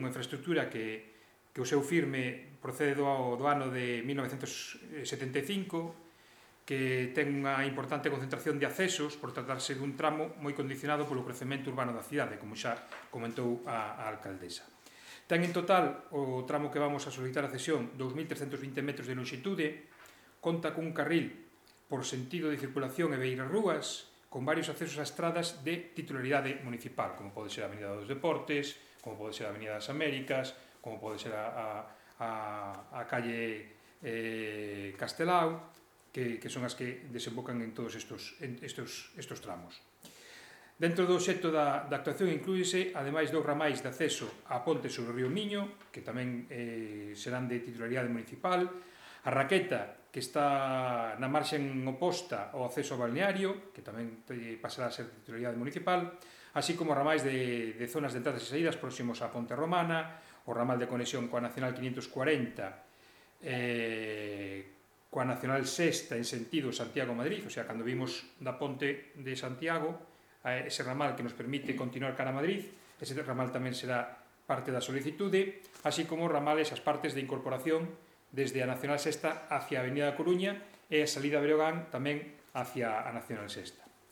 unha infraestructura que o seu firme procede do ano de 1975, que ten unha importante concentración de accesos por tratarse dun tramo moi condicionado polo crecemento urbano da cidade, como xa comentou a alcaldesa. Ten en total o tramo que vamos a solicitar a cesión 2.320 metros de longitude, conta cun carril por sentido de circulación e beirarrúas, con varios accesos a estradas de titularidade municipal, como pode ser a Avenida dos Deportes, como pode ser a Avenida das Américas, como pode ser a calle Castelao, que son as que desembocan en todos estes tramos. Dentro do obxecto da actuación inclúese, ademais, 2 ramais de acceso á ponte sobre o río Miño, que tamén serán de titularidade municipal, a raqueta, que está na marxen oposta ao acceso ao balneario, que tamén pasará a ser de titularidade municipal, así como ramais de zonas de entradas e saídas próximos á Ponte Romana, o ramal de conexión coa Nacional 540, coa Nacional Sexta en sentido Santiago-Madrid, o sea, cando vimos da ponte de Santiago, ese ramal que nos permite continuar cara a Madrid, ese ramal tamén será parte da solicitude, así como ramales, as partes de incorporación desde a Nacional Sexta hacia a Avenida da Coruña e a salida a Breogán tamén hacia a Nacional Sexta.